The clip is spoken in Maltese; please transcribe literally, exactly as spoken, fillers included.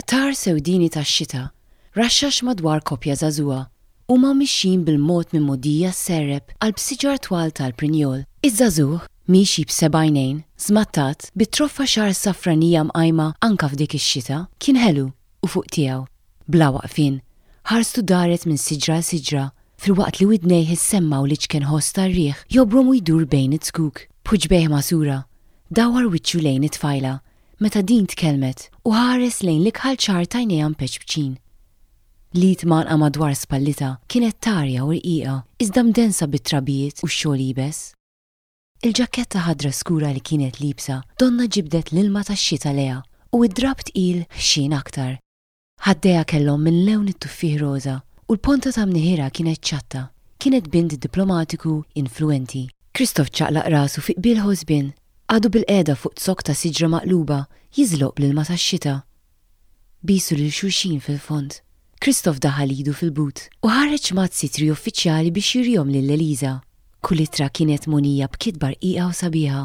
Qtar sewdieni tax-xita raxxax madwar koppja żagħżugħa. Huma mixjin bil-mod minn mogħdija sserrep qalb siġar twal tal-prinjol. Iż-żagħżugħ, miexi b'seba' għajnejn, żmattat, bi troffa xagħar safranija mqajma anke f'dik ix-xita, kien ħelu u fuq tiegħu. Bla waqfien, ħarstu daret minn siġra għal siġra, filwaqt li widnejh issemmgħu l-iċken ħoss tar-riħ jobrom u jdur bejn iz-zkuk. B'ħuġbejh magħsura, dawwar wiċċu lejn it-tfajla meta din tkellmet u ħares lejn l-ikħal ċar t'għajnejha mpeċpċin. L-id mgħannqa madwar spallitha kienet tarja u rqiqa, iżda mdensa bit-trabijiet u x-xogħol iebes. Il-ġakketta ħadra skura li kienet liebsa donnha ġibdet l-ilma tax-xita lejha u d-drapp tqil ħxien aktar. Ħaddejha kellhom minn lewn it-tuffieħ roża u l-ponta ta' mniħirha kienet ċatta. Kienet bint diplomatiku influwenti. Kristof ċaqlaq rasu fi qbil ħosbien. Qagħdu bilqiegħda fuq zokk ta' siġra maqluba jiżloq bl-ilma tax-xita. Bisu lil xulxin fil-fond. Kristof daħal idu fil-but u ħareġ mazz ittri uffiċjali biex jurihom lil Eliża. Kull ittra kienet mogħnija b'kitba rqiqa u sabiħa.